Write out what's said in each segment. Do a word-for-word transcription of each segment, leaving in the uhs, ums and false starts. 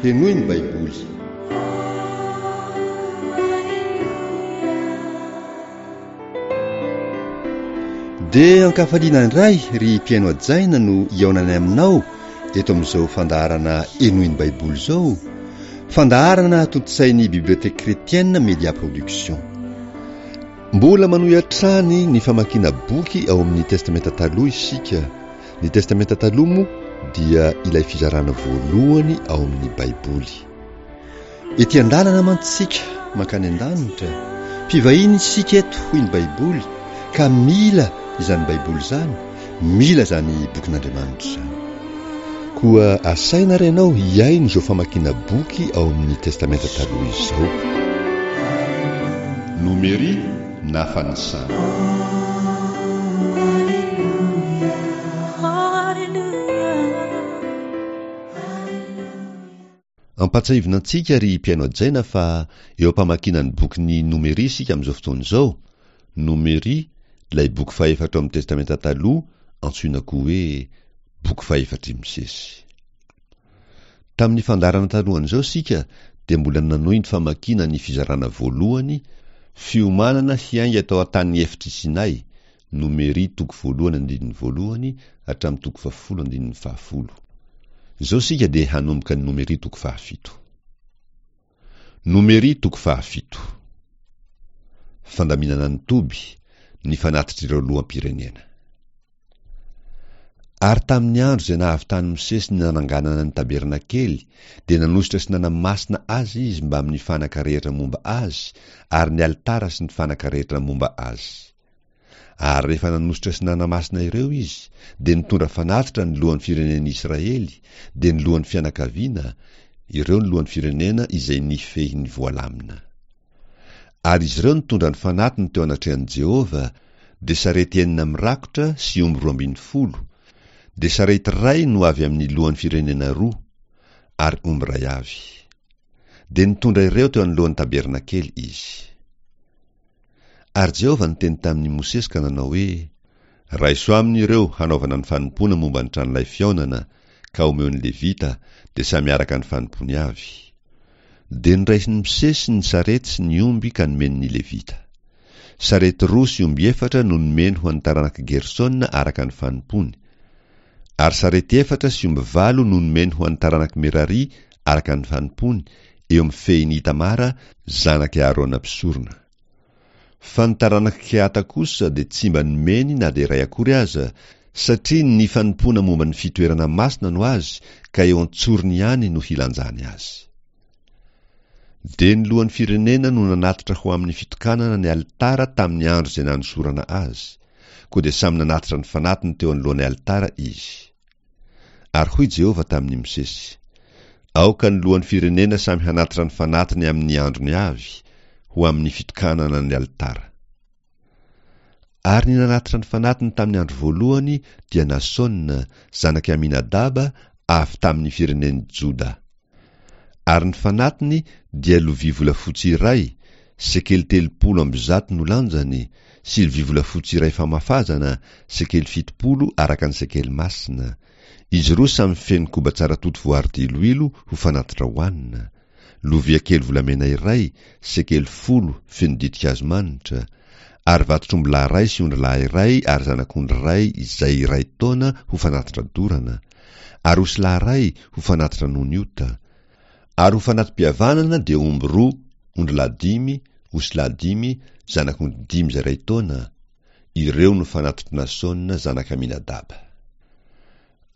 Henoy ny Baiboly. Dia ankafaliana indray ry mpihaino hajaina no hihaonanay aminao eto amin'izao fandaharana Henoy ny Baiboly izao, fandaharana tontosain'ny Bibliothèque Chrétienne Media Production. Mbola manohy hatrany ny famakiana boky ao amin'ny Testamenta Taloha isika. Ny Testamenta Taloha moa dia ilay fizarana voalohany ao amin'ny Baiboly. Ety an-dalana mantsy isika mankany an-danitra, mpivahiny isika eto hoy ny Baiboly, ka mila izany Baiboly izany, mila izany bokin'Andriamanitra izany. Koa asaina ary ianao hihaino izao famakiana boky ao amin'ny Testamenta Taloha izao. Nomery na fanisana. Ampahatsiahivina antsika ry mpihaino hajaina fa eo am-pamakiana ny bokin'ny Nomery isika amin'izao fotoana izao. Nomery, ilay boky fahefatra ao amin'ny Testamenta Taloha, antsoina koa hoe boky fahefatr'i Mosesy. Tamin'ny fandaharana talohan'izao isika dia mbola nanohy ny famakiana ny fizarana voalohany, fiomanana hiainga tao an-tany efitr'i Sinay, Nomery toko voalohany andininy voalohany hatramin'ny toko fahafolo andininy fahafolo. Izao isika dia hanomboka ny Nomery toko fahafito. Nomery toko fahafito. Fandaminana ny toby, ny fanatitr'ireo loham-pirenena. Ary tamin'ny andro izay nahavitan'i Mosesy ny nananganana ny tabernakely, dia nanosotra sy nanamasina azy izy mbamin'ny fanaka rehetra momba azy, ary ny alitara sy ny fanaka rehetra momba azy. Ary rehefa nanosotra sy nanamasina ireo izy, dia nitondra fanatitra ny lohan'ny firenen'i Israely, dia ny lohan'ny fianakaviana, ireo ny lohan'ny firenena izay nifehy ny voalamina. Ary izy ireo nitondra ny fanatiny teo anatrehan'i Jehovah, dia sarety enina mirakotra sy omby roa ambin'ny folo, dia sarety iray no avy amin'ny lohan'ny firenena roa, ary omby iray avy. Dia nitondra ireo teo anoloan'ny tabernakely izy. Ary Jehovah niteny tamin'i Mosesy ka nanao hoe, Raiso aminy ireo hanaovana ny fanompoana momba ny tranolay fihaonana, ka omeo ny Levita, dia samy araka ny fanompoany avy. Dia noraisin'i Mosesy ny sarety sy ny omby ka nomeny ny Levita. Sarety roa sy omby efatra no nomeny ho an'ny taranak'i Gersona araka ny fanompoany. Ary sarety efatra sy omby valo no nomeny ho an'ny taranak'i Merari araka ny fanompoany, eo amin'ny fehin'i Itamara, zanak'i Aharona mpisorona. Fa ny taranak'i Kehata kosa dia tsy mba nomeny na dia iray akory aza, satria ny fanompoana momba ny fitoerana masina no azy, ka eo an-tsorony ihany no hilanjany azy. Dia ny lohan'ny firenena no nanatitra ho amin'ny fitokanana ny alitara tamin'ny andro izay nanosorana azy, koa dia samy nanatitra ny fanatiny teo anoloan'ny alitara izy. Ary hoy Jehovah tamin'i Mosesy, Aoka ny lohan'ny firenena samy hanatitra ny fanatiny amin'ny androny avy, ho amin'ny fitokanana ny alitara. Ary ny nanatitra ny fanatiny tamin'ny andro voalohany dia Nasona, zanak'i Aminadaba, avy tamin'ny firenen'i Joda. Ary ny fanatiny dia lovia volafotsy iray, sekely telopolo amby zato no lanjany, sy lovia volafotsy iray famafazana, sekely fitopolo araka ny sekely masina. Izy roa samy feno koba tsara toto voary diloilo ho fanatitra hohanina. Lovia kely volamena iray, sekely folo feno ditin-kazo manitra, ary vatotr'ombilahy iray sy ondrilahy iray ary zanak'ondry iray izay iray taona ho fanatitra dorana, ary osilahy iray ho fanatitra noho ny ota, ary ho fanati-pihavanana dia omby roa, ondrilahy dimy, osilahy dimy, zanak'ondry dimy izay iray taona, ireo no fanatitr'i Nasona zanak'Aminadaba.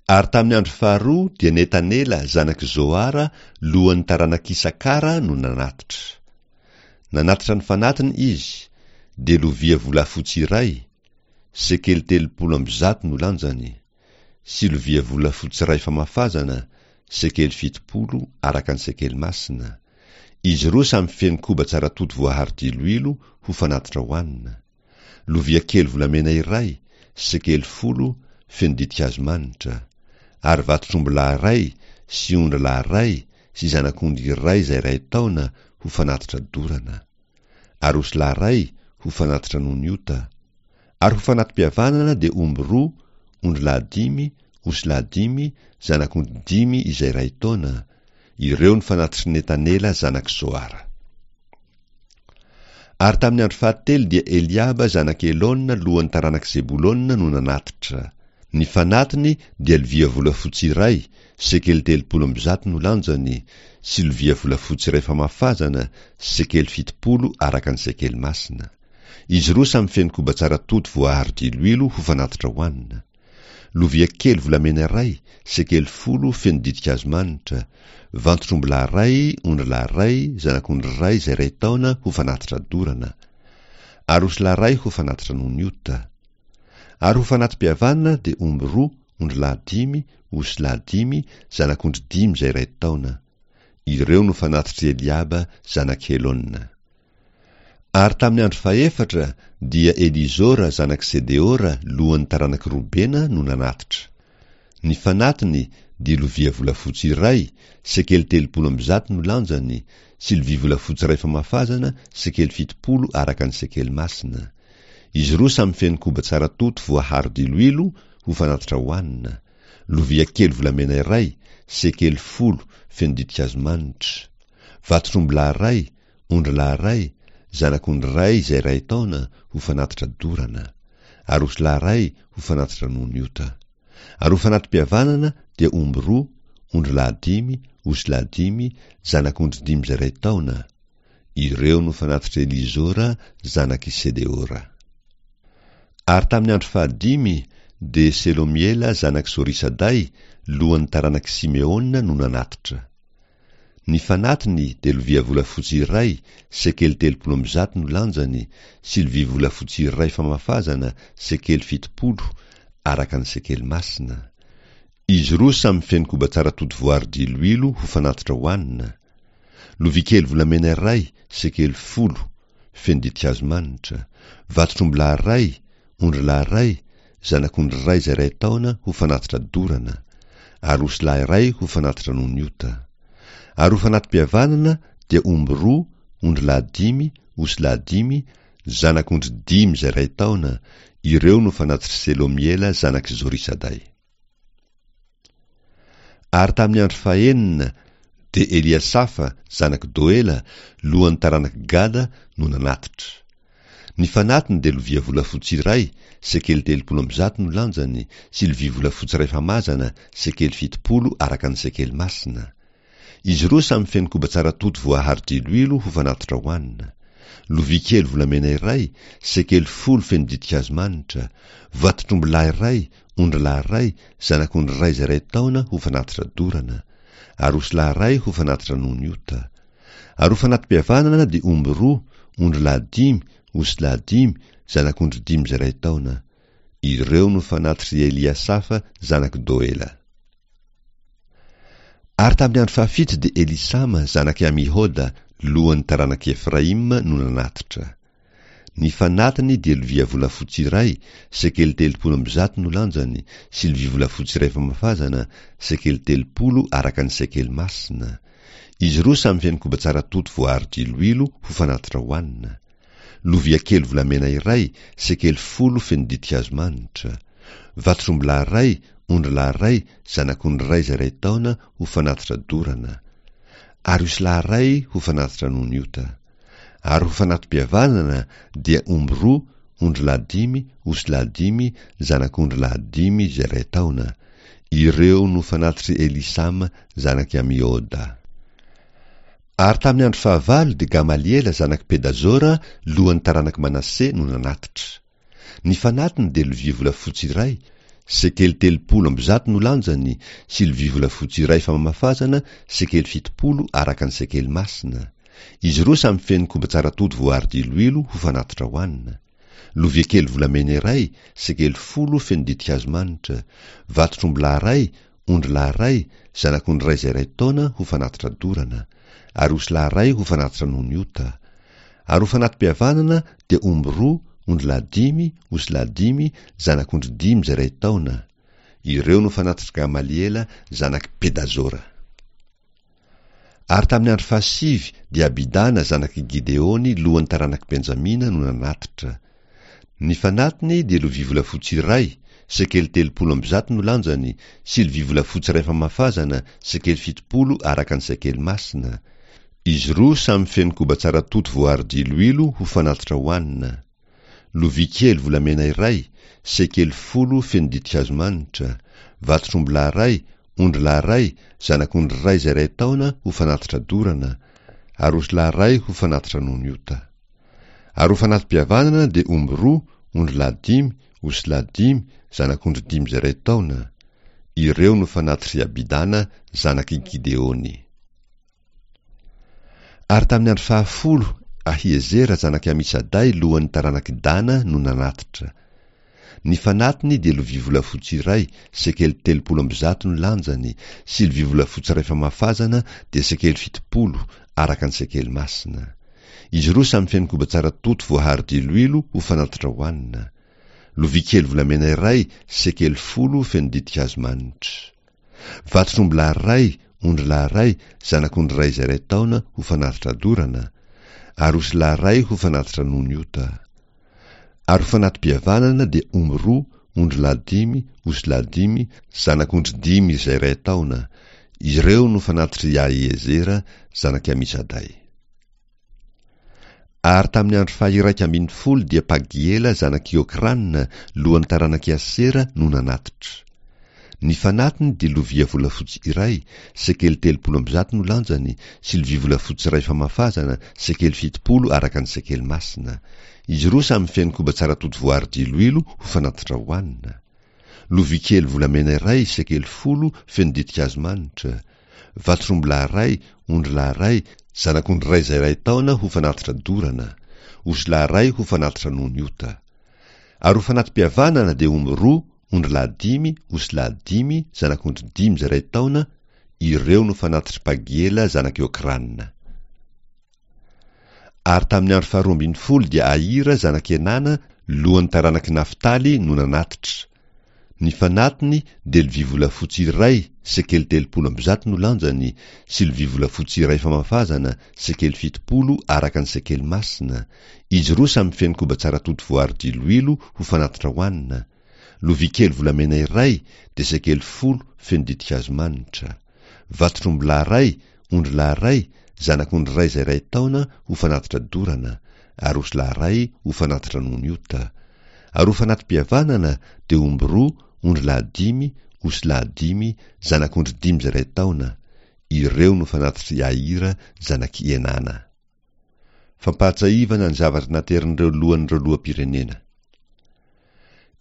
Ary tamin'ny andro faharoa dia Netanela zanak'i Zoara lohan'ny taranak'Isakara no nanatitra. Nanatitra ny fanatiny izy, dia lovia volafotsy iray, sekely telopolo amby zato no lanjany, sy lovia volafotsy iray famafazana, sekely fitopolo araka ny sekely masina. Izy roa samy feno koba tsara toto voaharo diloilo ho fanatitra hohanina. Lovia kely volamena iray, sekely folo, feno ditin-kazo manitra, ary vatotr'ombilahy iray sy ondrilahy iray sy zanak'ondry iray izay iray taona ho fanatitra dorana, ary osilahy iray ho fanatitra noho ny ota, ary ho fanati-pihavanana dia omby roa, ondrilahy dimy, osilahy dimy, zanak'ondry dimy izay iray taona, Ireo no fanatitr'i Netanela zanak'i Zoara. Ary tamin'ny andro fahatelo dia Eliaba zanak'i Elona lohan'ny taranak'i Zebolona no nanatitra. Ny fanatiny dia lovia volafotsy iray, sekely telopolo amby zato no lanjany, sy lovia volafotsy iray famafazana, sekely fitopolo araka ny sekely masina. Izy roa samy feno koba tsara toto voaharo diloilo ho fanatitra hohanina. Lovia kely volamena iray, sekely folo feno ditin-kazo manitra, vantotr'ombilahy iray, ondrilahy iray, zanak'ondry iray izay iray taona ho fanatitra dorana, ary osilahy iray ho fanatitra noho ny ota. Ary ho fanati-pihavanana dia omby roa, ondrilahy dimy, osilahy dimy, zanak'ondry dimy izay iray taona. Ireo no fanatitr'i Eliaba zanak'i Helona. Ary tamin'ny andro fahefatra dia Elizora zanak'i Sedeora lohan'ny taranak'i Robena no nanatitra. Ny fanatiny dia lovia volafotsy iray, sekely telopolo amby zato no lanjany, sy lovia volafotsy iray famafazana, sekely fitopolo araka ny sekely masina. Izy roa samy feno koba tsara toto voaharo diloilo ho fanatitra hohanina. Lovia kely volamena iray, sekely folo feno ditin-kazo manitra. Vatotr'ombilahy iray, ondrilahy iray, zanak'ondry iray izay iray taona ho fanatitra dorana, ary osilahy iray ho fanatitra noho ny ota. Ary ho fanati-pihavanana dia omby roa, ondrilahy dimy, osilahy dimy, zanak'ondry dimy izay iray taona. Ireo no fanatitr'i Elizora zanak'i Sedeora. Ary tamin'ny andro fahadimy dia Selomiela zanak'i Zorisaday lohan'ny taranak'i Simeona no nanatitra. Ny fanatiny dia lovia volafotsy iray, sekely telopolo amby zato no lanjany, sy lovia volafotsy iray famafazana, sekely fitopolo, araka ny sekely masina. Izy roa samy feno koba tsara toto voaharo diloilo ho fanatitra hohanina. Lovia kely volamena iray, sekely folo, feno ditin-kazo manitra. Vatotr'ombilahy iray, ondrilahy iray, zanak'ondry iray izay iray taona ho fanatitra dorana, ary osilahy iray ho fanatitra noho ny ota. Ary ho fanati-pihavanana dia omby roa, ondrilahy dimy, osilahy dimy, zanak'ondry dimy izay iray taona. Ireo no fanatitr'i Selomiela zanak'i Zorisaday. Ary tamin'ny andro fahenina dia Eliasafa zanak'i Doela lohan'ny taranak'i Gada no nanatitra. Ny fanatiny dia lovia volafotsy iray, sekely telopolo amby zato no lanjany, sy lovia volafotsy iray famazana, sekely fitopolo araka ny sekely masina. Izy roa samy feno koba tsara toto voaharo diloilo ho fanatitra hohanina. Lovia kely volamena iray, sekely folo feno ditin-kazo manitra, vatotr'ombilahy iray, ondrilahy iray, zanak'ondry iray izay iray taona ho fanatitra dorana, ary osilahy iray ho fanatitra noho ny ota. Ary ho fanati-pihavanana dia omby roa, ondrilahy dimy, osilahy dimy, zanak'ondry dimy izay iray taona. Ireo no fanatitr'i Eliasafa zanak'i Doela. Ary tamin'ny andro fahafito dia Elisama zanak'i Amihoda lohan'ny taranak'i Efraima no nanatitra. Ny fanatiny dia lovia volafotsy iray, sekely telopolo amby zato no lanjany, sy lovia volafotsy iray famafazana, sekely telopolo araka ny sekely masina. Izy roa samy feno koba tsara toto voaharo diloilo ho fanatitra hohanina. Lovia kely volamena iray, sekely folo feno ditin-kazo manitra. Vatotr'ombilahy iray, ondrilahy iray, zanak'ondry iray izay iray taona ho fanatitra dorana, ary osilahy iray ho fanatitra noho ny ota. Ary ho fanati-pihavanana dia omby roa, ondrilahy dimy, osilahy dimy, zanak'ondrilahy dimy izay iray taona. Ireo no fanatitr'i Elisama zanak'i Amioda. Ary tamin'ny andro fahavalo dia Gamaliela zanak'i Pedazora lohan'ny taranak'i Manase no nanatitra. Ny fanatiny dia lovia volafotsy iray, sekely telopolo amby zato no lanjany, sy lovia volafotsy iray famafazana, sekely fitopolo araka ny sekely masina. Izy roa samy feno koba tsara toto voaharo diloilo ho fanatitra hohanina. Lovia kely volamena iray, sekely folo feno ditin-kazo manitra, vatotr'ombilahy iray, ondrilahy iray, zanak'ondry iray izay iray taona ho fanatitra dorana, ary osilahy iray ho fanatitra noho ny ota. Ary ho fanati-pihavanana dia omby roa, ondrilahy dimy, osilahy dimy, zanak'ondry dimy izay iray taona. Ireo no fanatitr'i Gamaliela zanak'i Pedazora. Ary tamin'ny andro fahasivy dia Abidana zanak'i Gideony lohan'ny taranak'i Benjamina no nanatitra. Ny fanatiny dia lovia volafotsy iray, sekely telopolo amby zato no lanjany, sy lovia volafotsy iray famafazana, sekely fitopolo araka ny sekely masina. Izy roa samy feno koba tsara toto voaharo diloilo ho fanatitra hohanina. Lovia kely volamena iray, sekely folo feno ditin-kazo manitra, vatotr'ombilahy iray, ondrilahy iray, zanak'ondry iray izay iray taona ho fanatitra dorana, ary osilahy iray ho fanatitra noho ny ota. Ary ho fanati-pihavanana dia omby roa, ondrilahy dimy, osilahy dimy, zanak'ondry dimy izay iray taona. Ireo no fanatitr'i Abidana zanak'i Gideony. Ary tamin'ny andro fahafolo Ahiezera zanak'i Amisaday lohan'ny taranak'i Dana no nanatitra. Ny fanatiny dia lovia volafotsy iray, sekely telopolo amby zato no lanjany, sy lovia volafotsy iray famafazana dia sekely fitopolo, araka ny sekely masina. Izy roa samy feno koba tsara toto voaharo diloilo ho fanatitra hohanina. Lovia kely volamena iray, sekely folo feno ditin-kazo manitra. Vatotr'ombilahy iray, ondrilahy iray, zanak'ondry iray izay iray taona ho fanatitra dorana, ary osilahy iray ho fanatitra noho ny ota. Ary ho fanati-pihavanana dia omby roa, ondrilahy dimy, osilahy dimy, zanak'ondry dimy izay iray taona. Ireo no fanatitr'i Ahiezera zanak'i Amisaday. Ary tamin'ny andro faha-iraika ambin'ny folo dia Pagiela zanak'i Okrana, lohan'ny taranak'i Asera, no nanatitra. Ny fanatiny dia lovia volafotsy iray, sekely telopolo amby zato no lanjany, sy lovia volafotsy iray famafazana, sekely fitopolo araka ny sekely masina. Izy roa samy feno koba tsara toto voaharo diloilo ho fanatitra hohanina. Lovia kely volamena iray, sekely folo, feno ditin-kazo manitra. Vatotr'ombilahy iray, ondrilahy iray, zanak'ondry iray izay iray taona ho fanatitra dorana, osilahy iray ho fanatitra noho ny ota. Ary ho fanati-pihavanana dia omby roa, ondrilahy dimy, osilahy dimy, zanak'ondry dimy izay iray taona. Ireo no fanatitr'i Pagiela zanak'i Okrana. Ary tamin'ny andro faharoa ambin'ny folo dia Ahira zanak'i Enana, lohan'ny taranak'i Naftaly, no nanatitra. Ny fanatiny dia lovia volafotsy iray, sekely telopolo amby zato no lanjany, sy lovia volafotsy iray famafazana, sekely fitopolo araka ny sekely masina. Izy roa samy feno koba tsara toto voaharo diloilo ho fanatitra hohanina. Lovia kely volamena iray dia sekely folo feno ditin-kazo manitra. Vatotr'ombilahy iray, ondrilahy iray, zanak'ondry iray izay iray taona ho fanatitra dorana, ary osilahy iray ho fanatitra noho ny ota. Ary ho fanati-pihavanana dia omby roa, ondrilahy dimy, osilahy dimy, zanak'ondry dimy izay iray taona. Ireo no fanatitr'i Ahira zanak'i Enana. Fampahatsiahivana ny zavatra naterin'ireo lohan'ireo loham-pirenena.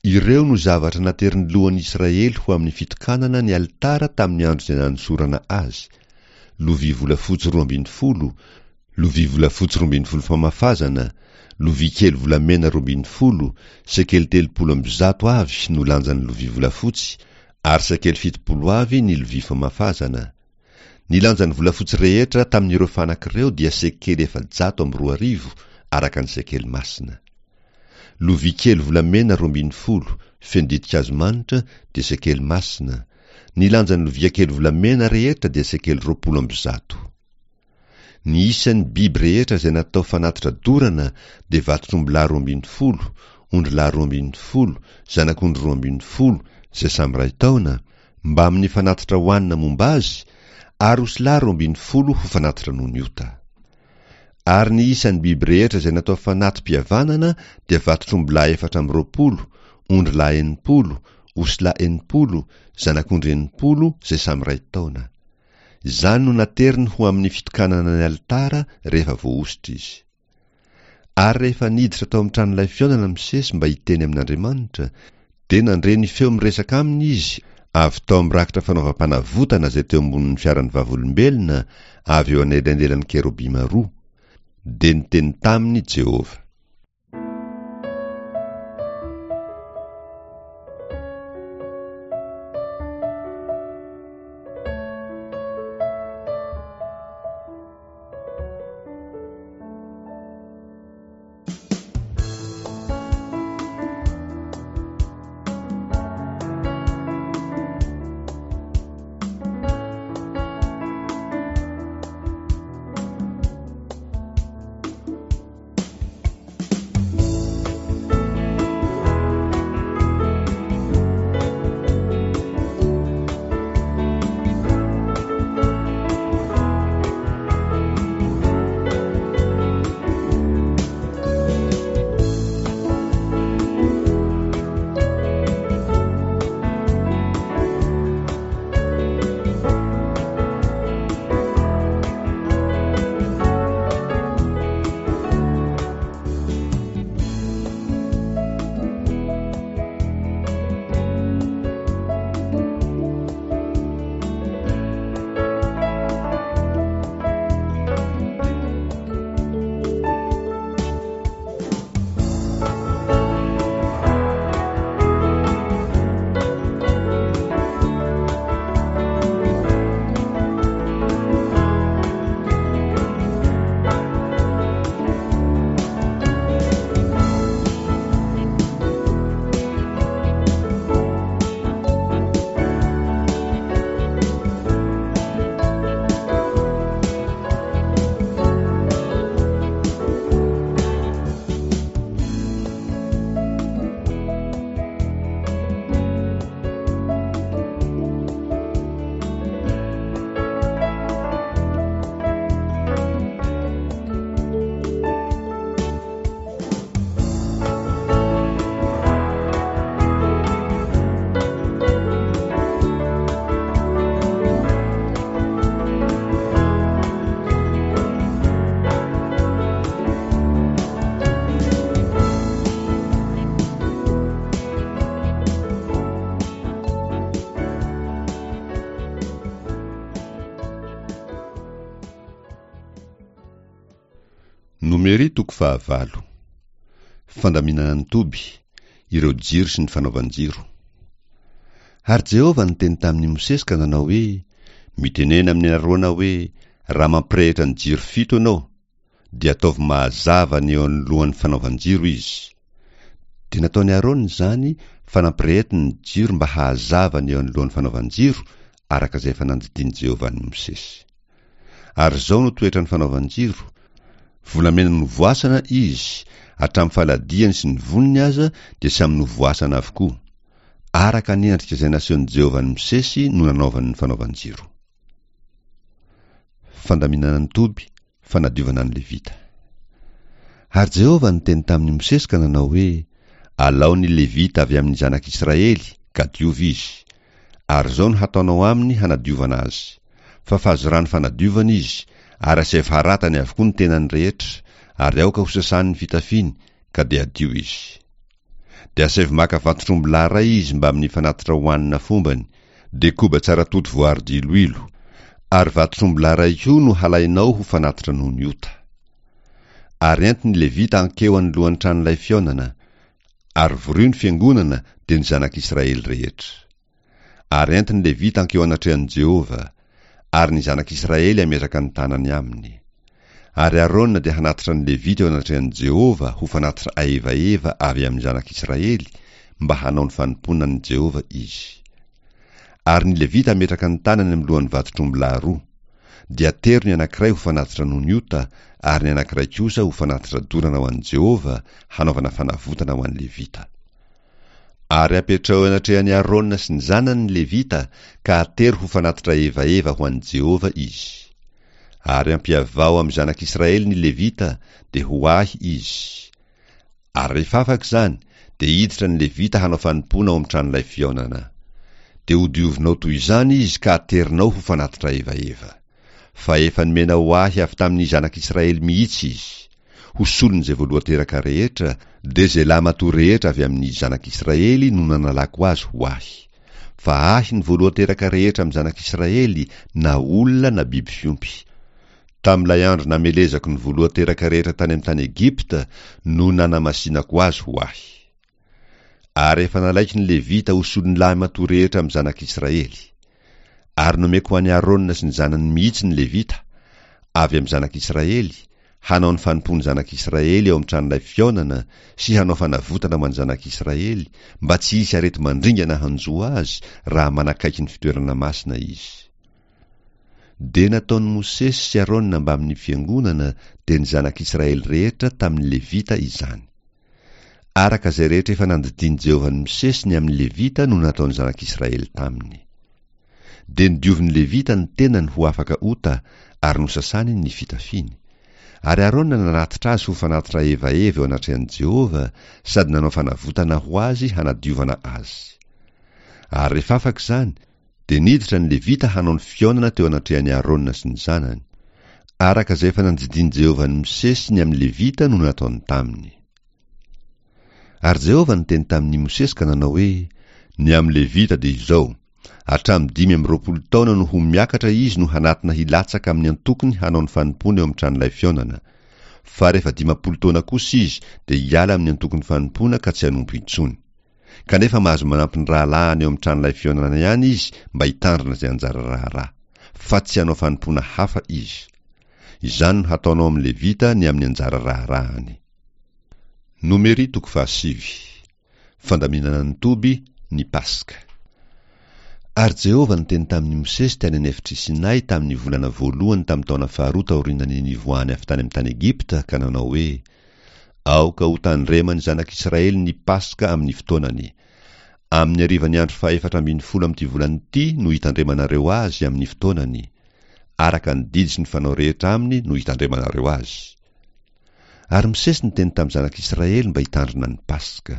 Ireo no zavatra naterin'ny lohan'ny Israely ho amin'ny fitokanana ny alitara tamin'ny andro izay nanosorana azy. Lovia volafotsy roa ambin'ny folo, lovia volafotsy roa ambin'ny folo famafazana, lovia kely volamena roa ambin'ny folo, sekely telopolo amby zato avy no lanjan'ny lovia volafotsy, ary sekely fitopolo avy ny lovia famafazana. Ny lanjan'ny volafotsy rehetra tamin'ireo fanaka ireo dia sekely efajato amby roa arivo araka ny sekely masina. Lovia kely volamena roa ambin'ny folo, feno ditin-kazo manitra, dia sekely masina. Ny lanjan'ny lovia kely volamena rehetra dia sekely roapolo amby zato. Ny isan'ny biby rehetra izay natao fanatitra dorana dia vatotr'ombilahy roa ambin'ny folo, ondrilahy roa ambin'ny folo, zanak'ondry roa ambin'ny folo, izay samy iray taona, mbamin'ny fanatitra hohanina momba azy, ary osilahy roa ambin'ny folo ho fanatitra noho ny ota. Ary ny isan'ny biby rehetra izay natao fanati-pihavanana dia vatotr'ombilahy efatra amby roapolo, ondrilahy enimpolo, osilahy enimpolo, zanak'ondry enimpolo izay samy iray taona. Izany no nateriny ho amin'ny fitokanana ny alitara rehefa voahosotra izy. Ary rehefa niditra tao amin'ny tranolay fihaonana Mosesy mba hiteny amin'Andriamanitra, dia nandre ny feo miresaka aminy izy avy tao amin'ny rakitra fanaovam-panavotana izay teo ambonin'ny fiaran'ny vavolombelona avy eo anelanelan'ny kerobima roa. Dia niteny taminy Jehovah. Nomery toko fahavalo. Fandaminana ny toby, ireo jiro sy ny fanaovan-jiro. Ary Jehovah niteny tamin'i Mosesy ka nanao hoe, Mitenena amin'i Arona hoe, raha mampirehitra ny jiro fito ianao, dia ataovy mahazava ny eo anoloan'ny fanaovan-jiro izy. Dia nataon'i Arona izany fa nampirehetiny ny jiro mba hahazava ny eo anoloan'ny fanaovan-jiro, araka izay efa nandidian'i Jehovah an'i Mosesy. Ary izao no toetran'ny fanaovan-jiro, volamena novoasana izy, hatramin'ny faladiany sy ny voniny aza dia samy novoasana avokoa. Araka ny endrika izay nasehon'i Jehovah an'i Mosesy no nanaovany ny fanaovan-jiro. Fandaminana ny toby, fanadiovana ny Levita. Ary Jehovah niteny tamin'i Mosesy ka nanao hoe, Alao ny Levita avy amin'ny zanak'Israely, ka diovy izy. Ary izao no hataonao aminy hanadiovana azy. Fafazo rano fanadiovana izy, ary asaivo haratany avokoa ny tenany rehetra, ary aoka hosasany ny fitafiany, ka dia hadio izy. Dia asaivo maka vantotr'ombilahy iray izy mbamin'ny fanatitra hohanina fombany, dia koba tsara toto voaro diloilo, ary vantotr'ombilahy iray koa no halainao ho fanatitra noho ny ota. Ary ento ny Levita hankeo anoloan'ny tranolay fihaonana, ary vorio ny fiangonana dia ny zanak'Israely rehetra. Ary ento ny Levita hankeo anatrehan'i Jehovah, ary ny zanak'Israely hametraka ny tanany aminy. Ary Arona dia hanatitra ny Levita eo anatrehan'i Jehovah ho fanatitra aevaeva avy amin'ny zanak'Israely mba hanao ny fanompoana an'i Jehovah izy. Ary ny Levita hametraka ny tanany amin'ny lohan'ny vantotr'ombilahy roa. Dia atero ny anankiray ho fanatitra noho ny ota, ary ny anankiray kosa ho fanatitra dorana ho an'i Jehovah hanaovana fanavotana ho an'ny Levita. Ary apetraho eo anatrehan'i Arona sy ny zanany ny Levita, ka atero ho fanatitra evaeva ho an'i Jehovah izy. Ary ampiavao amin'ny zanak'Israely ny Levita, dia ho ahy izy. Ary rehefa afaka izany, dia hiditra ny Levita hanao fanompoana ao amin'ny tranolay fihaonana. Dia hodiovinao toy izany izy ka aterinao ho fanatitra evaeva. Fa efa nomena ho ahy avy tamin'ny zanak'Israely mihitsy izy. Ho solon'izay voalohan-teraka rehetra, dia izay lahimatoa rehetra avy amin'ny zanak'Israely no nanalako azy ho ahy. Fa ahy ny voalohan-teraka rehetra amin'ny zanak'Israely, na olona na biby fiompy. Tamin'ilay andro namelezako ny voalohan-teraka rehetra tany amin'ny tany Egypta no nanamasinako azy ho ahy. Ary efa nalaiko ny Levita ho solon'ny lahimatoa rehetra amin'ny zanak'Israely. Ary nomeko ho an'i Arona sy ny zanany mihitsy ny Levita, avy amin'ny zanak'Israely, hanao ny fanompoan'ny zanak'Israely eo amin'ny tranolay fihaonana sy hanao fanavotana ho an'ny zanak'Israely, mba tsy hisy areti-mandringana hanjo azy raha manakaiky ny fitoerana masina izy. Dia nataon'i Mosesy sy Arona mbamin'ny fiangonana dia ny zanak'Israely rehetra tamin'ny Levita izany. Araka izay rehetra efa nandidian'i Jehovah an'i Mosesy ny amin'ny Levita no nataon'ny zanak'Israely taminy. Dia nodiovin'ny Levita ny tenany ho afaka ota ary nosasany ny fitafiany. Ary Arona nanatitra azy ho fanatitra evaeva eo anatrehan'i Jehovah sady nanao fanavotana ho azy hanadiovana azy. Ary rehefa afaka izany, dia niditra ny Levita hanao ny fihaonana teo anatrehan'i Arona sy ny zanany. Araka izay efa nandidian'i Jehovah an'i Mosesy ny amin'ny Levita no nataony taminy. Ary Jehovah niteny tamin'i Mosesy ka nanao hoe, Ny amin'ny Levita dia izao, hatramin'ny dimy amby roapolo taona no ho miakatra izy no hanatona hilatsaka amin'ny antokony hanao ny fanompoana eo amin'ny tranolay fihaonana. Fa rehefa dimampolo taona kosa izy dia hiala amin'ny antokony fanompoana ka tsy hanompo intsony. Kanefa mahazo manampy ny rahalahiny eo amin'ny tranolay fihaonana ihany izy mba hitandrina izay anjara raharaha, fa tsy hanao fanompoana hafa izy. Izany no hataonao amin'ny Levita ny amin'ny anjara raharahany. Nomery toko fahasivy. Fandaminana ny toby, ny Paska. Ary Jehovah niteny tamin'i Mosesy tany an'efitr'i Sinay tamin'ny volana voalohany tamin'ny taona faharoa taorian'ny nivoahany avy tany amin'ny tany Egypta ka nanao hoe, Aoka ho tandreman'ny zanak'Israely ny Paska amin'ny fotoanany. Amin'ny harivan'ny andro fahefatra ambin'ny folo amin'ity volana ity no hitandremanareo azy amin'ny fotoanany. Araka ny didy sy ny fanao rehetra aminy no hitandremanareo azy. Ary Mosesy niteny tamin'ny zanak'Israely mba hitandrina ny Paska.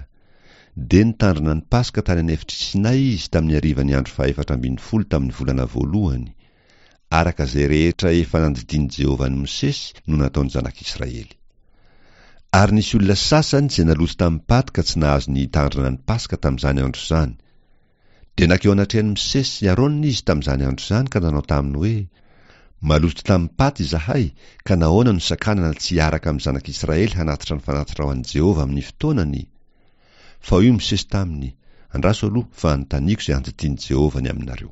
Dia nitandrina ny Paska tany an'efitr'i Sinay izy tamin'ny harivan'ny andro fahefatra ambin'ny folo tamin'ny volana voalohany. Araka izay rehetra efa nandidian'i Jehovah an'i Mosesy no nataon'ny zanak'Israely. Ary nisy olona sasany izay naloto tamin'ny paty ka tsy nahazo ny hitandrina ny Paska tamin'izany andro izany. Dia nankeo anatrehan'i Mosesy sy Arona izy tamin'izany andro izany ka nanao taminy hoe, Maloto tamim-paty izahay, ka nahoana no sakanana tsy hiaraka amin'ny zanak'Israely hanatitra ny fanatitra ho an'i Jehovah amin'ny fotoanany? Fa hoy Mosesy taminy, Andraso aloha fa anontaniako izay andidian'i Jehovah ny aminareo.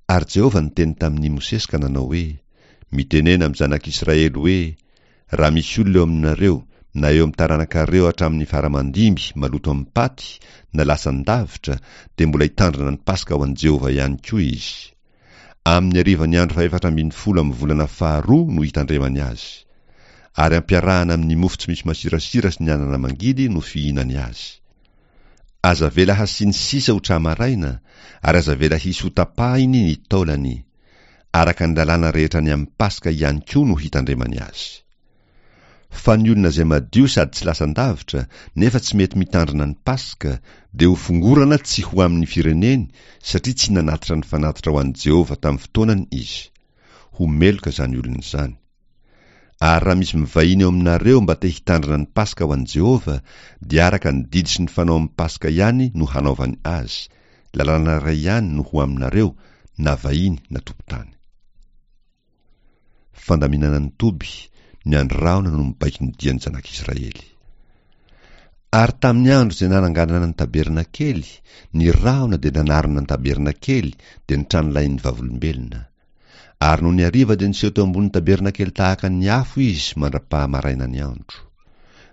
Ary Jehovah niteny tamin'i Mosesy ka nanao hoe, Mitenena amin'ny zanak'Israely hoe, Raha misy olona eo aminareo, na eo amin'ny taranakareo hatramin'ny fara-mandimby maloto amim-paty, na lasan-davitra, dia mbola hitandrina ny Paska ho an'i Jehovah ihany koa izy. Amin'ny harivan'ny andro fahefatra ambin'ny folo amin'ny volana faharoa no hitandremany azy. Ary ampiarahana amin'ny mofo tsy misy masirasira sy ny anana mangidy no fihinany azy. Aza avela hasiany sisa ho tra-maraina, ary aza avela hisy hotapahiny ny taolany. Araka ny lalàna rehetra ny amin'ny Paska ihany koa no hitandremany azy. Fa ny olona izay madio sady tsy lasan-davitra, nefa tsy mety mitandrina ny Paska, dia hofongorana tsy ho amin'ny fireneny, satria tsy nanatitra ny fanatitra ho an'i Jehovah tamin'ny fotoanany izy. Ho meloka izany olona izany. Ary raha misy mivahiny eo aminareo mba te hitandrina ny Paska ho an'i Jehovah, dia araka ny didy sy ny fanao amin'ny Paska ihany no hanaovany azy. Lalàna iray ihany no ho aminareo, na vahiny na tompon-tany. Fandaminana ny toby, ny andry rahona no mibaiko ny dian'ny zanak'Israely. Ary tamin'ny andro izay nananganana ny tabernakely, ny rahona dia nanarona ny tabernakely, dia ny tranolahin'ny vavolombelona. Ary nony hariva dia niseho teo ambonin'ny tabernakely tahaka ny afo izy mandra-pahamaraina ny andro.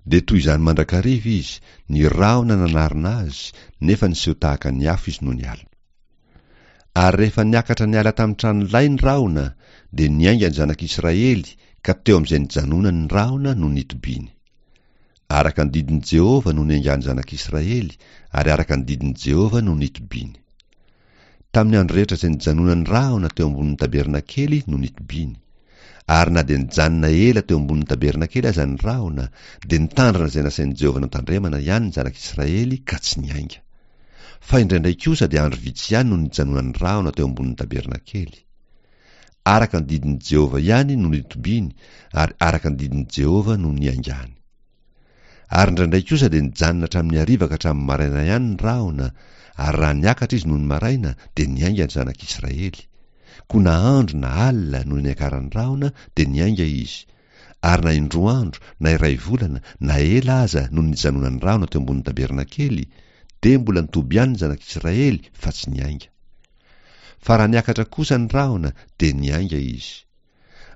Dia toy izany mandrakariva izy, ny rahona nanarona azy, nefa niseho tahaka ny afo izy nony alina. Ary rehefa niakatra niala tamin'ny tranolay ny rahona, dia niainga ny zanak'Israely, ka teo amin'izay nijanonany ny rahona no nitobiany. Araka ny didin'i Jehovah no niaingan'ny zanak'Israely, ary araka ny didin'i Jehovah no nitobiany. Tamin'ny andro rehetra izay nijanonany rahona teo ambonin'ny tabernakely no nitobiany. Ary na dia nijanona ela teo ambonin'ny tabernakely aza ny rahona, dia nitandrina izay nasain'i Jehovah notandremana ihany ny zanak'Israely ka tsy niainga. Fa indraindray kosa dia andro vitsy ihany no nijanonan'ny rahona teo ambonin'ny tabernakely. Araka ny didin'i Jehovah ihany no nitobiany, ary araka ny didin'i Jehovah no niaingany. Ary indraindray kosa dia nijanona hatramin'ny hariva ka hatramin'ny maraina ihany ny rahona, ary raha niakatra izy nony maraina, dia niainga ny zanak'Israely. Koa na andro na alina no niakaran'ny rahona, dia niainga izy. Ary na indroa andro, na iray volana, na ela aza no nijanonan'ny rahona teo ambonin'ny tabernakely, dia mbola nitoby ihany ny zanak'Israely fa tsy niainga. Fa raha niakatra kosa ny rahona, dia niainga izy.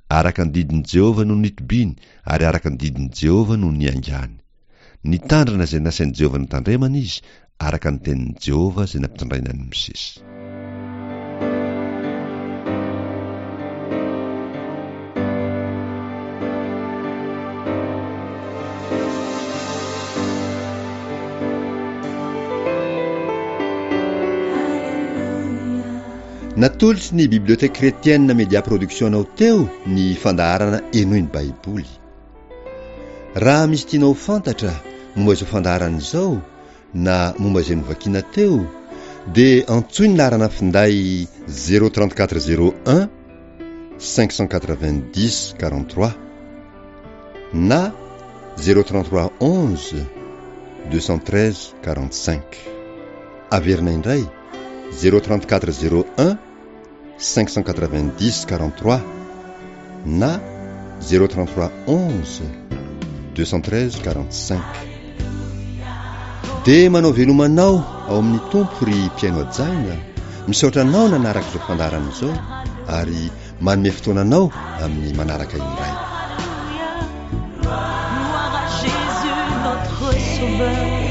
Araka ny didin'i Jehovah no nitobiany, ary araka ny didin'i Jehovah no niaingany. Nitandrina izay nasain'i Jehovah notandremana izy, araka ny tenin'i Jehovah izay nampitondraina an'i Mosesy. Natolotry ny Bibliothèque Chrétienne Media Production anao teo ny fandaharana Henoy ny Baiboly. Raha misy tianao ho fantatra momba izao fandaharana izao na momba izay novakiana teo, dia antsoy ny laharana finday zéro trente-quatre zéro un cinq cent quatre-vingt-dix quarante-trois na zéro trente-trois onze deux cent treize quarante-cinq. Averina indray zéro trente-quatre zéro un cinq cent quatre-vingt-dix quarante-trois na zéro trente-trois onze deux cent treize quarante-cinq. Dia manao veloma anao ao amin'ny Tompo ry mpihaino hajaina, misaotra anao nanaraka izao fandaharana izao ary manome fotoana anao amin'ny manaraka indray. Gloire à Jésus notre Sauveur.